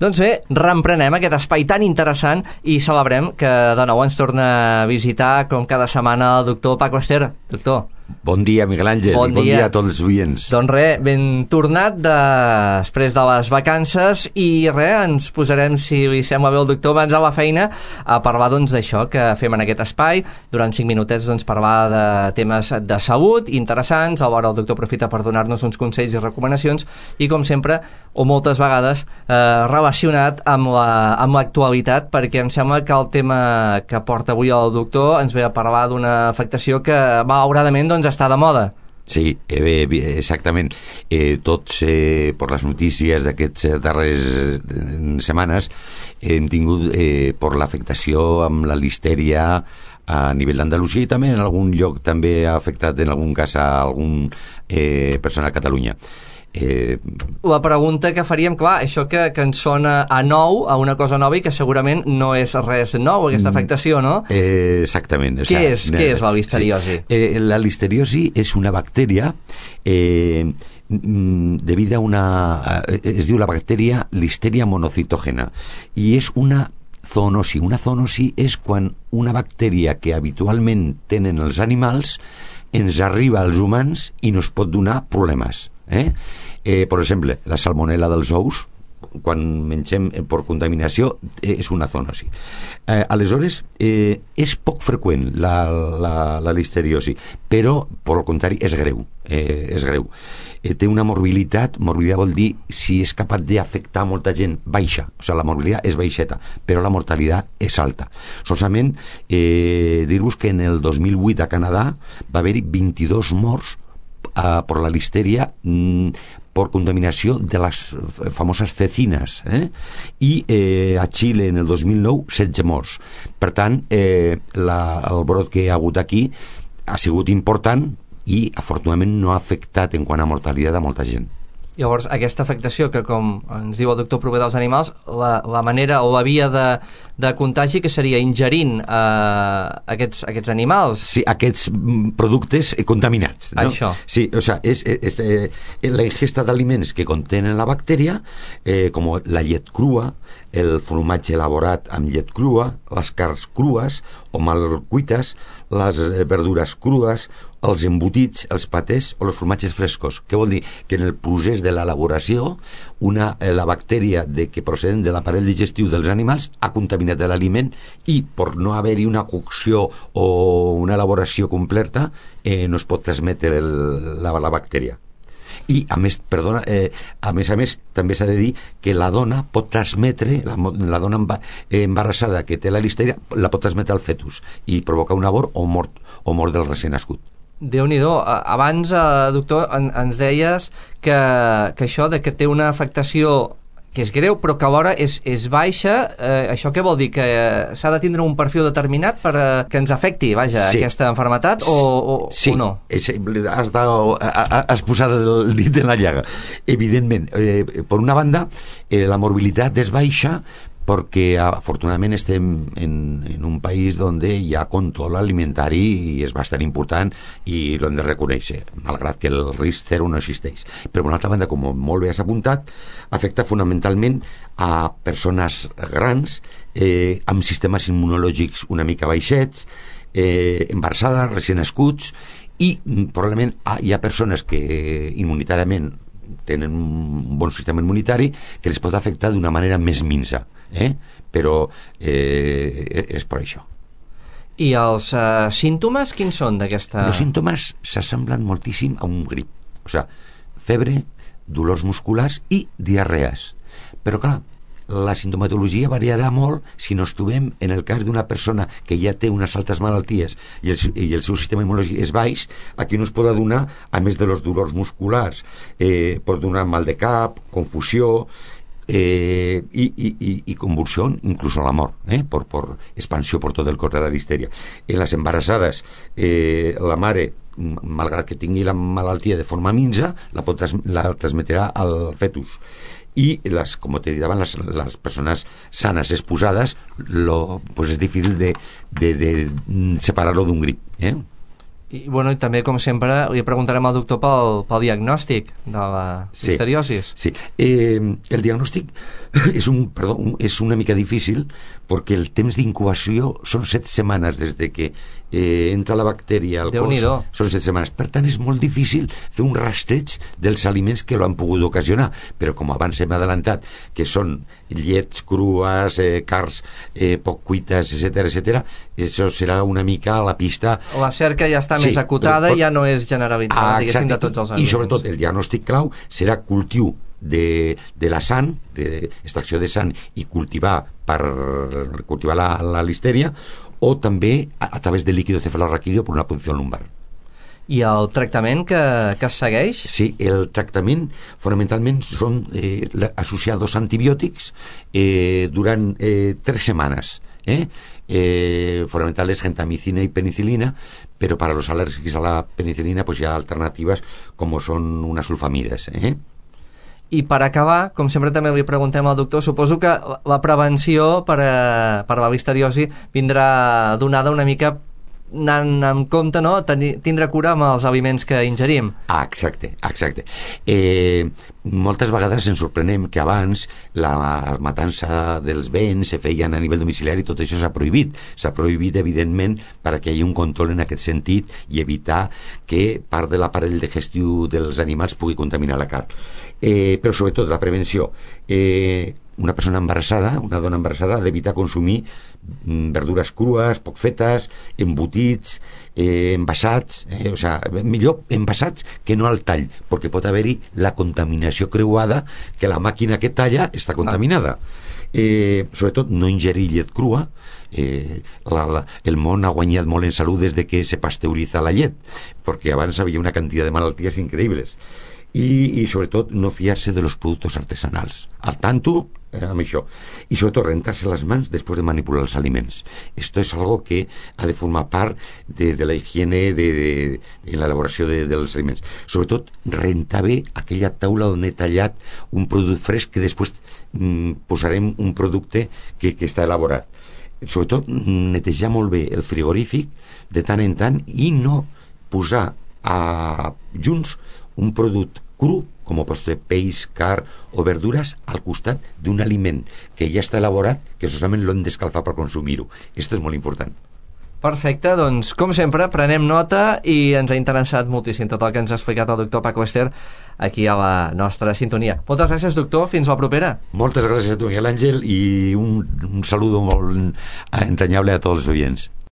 Doncs bé, reemprenem aquest espai tan interessant i celebrem que de nou ens torna a visitar, com cada setmana, el doctor Paco Ester. Doctor. Bon dia, Miguel Àngel. Bon dia a tots els oients. Doncs res, ben tornat després de les vacances i res, ens posarem, si li sembla bé el doctor, abans a la feina a parlar doncs d'això que fem en aquest espai. Durant 5 minutets doncs parlar de temes de salut interessants, alhora el doctor aprofita per donar-nos uns consells i recomanacions i com sempre, o moltes vegades, relacionat amb l'actualitat, perquè em sembla que el tema que porta avui el doctor ens ve a parlar d'una afectació que malauradament doncs està de moda. Sí, exactament. Tots, per les notícies d'aquests darrers setmanes, hem tingut per l'afectació amb la listèria a nivell d'Andalusia i també en algun lloc també ha afectat en algun cas a algun persona a Catalunya. La pregunta que faríem, clar, això que ens sona a nou, a una cosa nova i que segurament no és res nou, aquesta afectació, no? Exactament. Què és la listeriosi? Sí. La listeriosi és una bactèria debido a una... es diu la bactèria Listeria monocitògena i és una zoonosi. Una zoonosi és quan una bactèria que habitualment tenen els animals ens arriba als humans i nos pot donar problemes. Per exemple, la salmonella dels ous, quan mengem per contaminació, és una zoonosi. Aleshores, és poc freqüent la listeriosi, però, per al contrari, és greu. Té una morbilitat vol dir si és capaç d'afectar molta gent, baixa. O sigui, la morbilitat és baixeta, però la mortalitat és alta. Solament dir-vos que en el 2008 a Canadà va haver-hi 22 morts per la listeria per contaminació de les famoses cecinas, i a Xile en el 2009 16 morts. Per tant, el brot que hi ha hagut aquí ha sigut important i afortunadament no ha afectat en quant a mortalitat a molta gent. Llavors, aquesta afectació que, com ens diu el doctor, prové dels animals, la manera o la via de contagi que seria ingerint aquests animals. Sí, aquests productes contaminats, no? Això. Sí, o sigui, és la ingesta d'aliments que contenen la bactèria, com la llet crua, el formatge elaborat amb llet crua, les carns crues o mal cuites, les verdures crues, els embotits, els patés o els formatges frescos. Què vol dir? Que en el procés de l'elaboració la bactèria que procedent de l'aparell digestiu dels animals ha contaminat l'aliment i per no haver-hi una cocció o una elaboració completa no es pot transmetre la bactèria. I a més, a més també s'ha de dir que la dona pot transmetre, la dona embarassada que té la listèria la pot transmetre al fetus i provocar un abort o mort del recent nascut. Déu-n'hi-do. Abans, doctor, ens deies que això de que té una afectació que és greu, però que alhora és baixa. Això què vol dir? Que s'ha de tindre un perfil determinat per que ens afecti, vaja, sí, aquesta malaltia sí, o no? Sí, has posat el dit en la llaga. Evidentment, per una banda, la morbilitat és baixa perquè afortunadament estem en un país on hi ha control alimentari i és bastant important i l'hem de reconèixer, malgrat que el risc zero no existeix. Però, per una altra banda, com molt bé has apuntat, afecta fonamentalment a persones grans amb sistemes immunològics una mica baixets, embarassades, recient nascuts, i probablement hi ha persones que immunitàriament tenen un bon sistema immunitari que els pot afectar d'una manera més minsa, però és per això. I els símptomes quins són d'aquesta... Els símptomes s'assemblen moltíssim a un grip, o sigui, febre, dolors musculars i diarrees, però clar, la sintomatologia variarà molt si no estuvem en el cas d'una persona que ja té unes altres malalties i el seu sistema immunològic és baix. Aquí no es pot donar, a més de los dolors musculars, pot donar mal de cap, confusió i convulsió, inclús la mort, per expansió per tot el cos de la listeria. En les embarassades, la mare, malgrat que tingui la malaltia de forma minsa, la transmetrà al fetus. I com te dit abans, les persones sanes exposades és difícil de separar-lo d'un grip, I, bueno, i també, com sempre, li preguntarem al doctor pel diagnòstic de la listeriosis. Sí. El diagnòstic és una mica difícil perquè el temps d'incubació són 7 setmanes des de que entra la bactèria al cos. Són 7 setmanes. Per tant, és molt difícil fer un rastreig dels aliments que l'han pogut ocasionar. Però, com abans hem adelantat, que són llets crues, carns poc cuites, etc., això serà una mica la pista. La cerca ja està més acotada i ja no és generalitzada, diguéssim, de tots els aliments. I sobretot el diagnòstic clau serà cultiu de la sang, d'extracció de sang i cultivar la listèria, o també a través del líquido cefalorraquídeo per una punció lumbar. I el tractament que es segueix? Sí, el tractament fonamentalment són associados antibiòtics durant 3 setmanes. Fonamental es gentamicina y penicilina, pero para los alérgicos a la penicilina pues ya alternativas como son unas sulfamides. I per acabar, com sempre també li preguntem al doctor, suposo que la prevenció per a la listeriosi vindrà donada una mica anant en compte, no? Tindre cura amb els aliments que ingerim. Exacte. Moltes vegades ens sorprenem que abans la matança dels béns se feien a nivell domiciliari, tot això s'ha prohibit. S'ha prohibit, evidentment, perquè hi hagi un control en aquest sentit i evitar que part de l'aparell digestiu dels animals pugui contaminar la carn. Però sobretot la prevenció. Una persona embarassada, una dona embarassada, ha d'evitar consumir verdures crues, poc fetes, embotits, envasats, o sigui, millor envasats que no al tall, perquè pot haver-hi la contaminació creuada, que la màquina que talla està contaminada. Sobretot no ingerir llet crua. El món ha guanyat molt en salut des de que se pasteuriza la llet, perquè abans havia una quantitat de malalties increïbles. I sobretot no fiar-se de los productos artesanals, al tanto amb això, y sobretot rentar-se les mans després de manipular els aliments. Esto es algo que ha de formar part de la higiene en l'elaboració dels aliments. Sobretot rentar bé aquella taula on he tallat un producte fresc que després posarem un producte que està elaborat. Sobretot netejar molt bé el frigorífic de tant en tant i no posar junts un producte cru, com pot ser peix, carn o verdures, al costat d'un aliment que ja està elaborat, que solament l'hem d'escalfar per consumir-ho. Esto és molt important. Perfecte, doncs, com sempre, prenem nota i ens ha interessat moltíssim tot el que ens ha explicat el doctor Paco Ester aquí a la nostra sintonia. Moltes gràcies, doctor. Fins la propera. Moltes gràcies a tu, Miguel Àngel, i un saludo molt entranyable a tots els oients.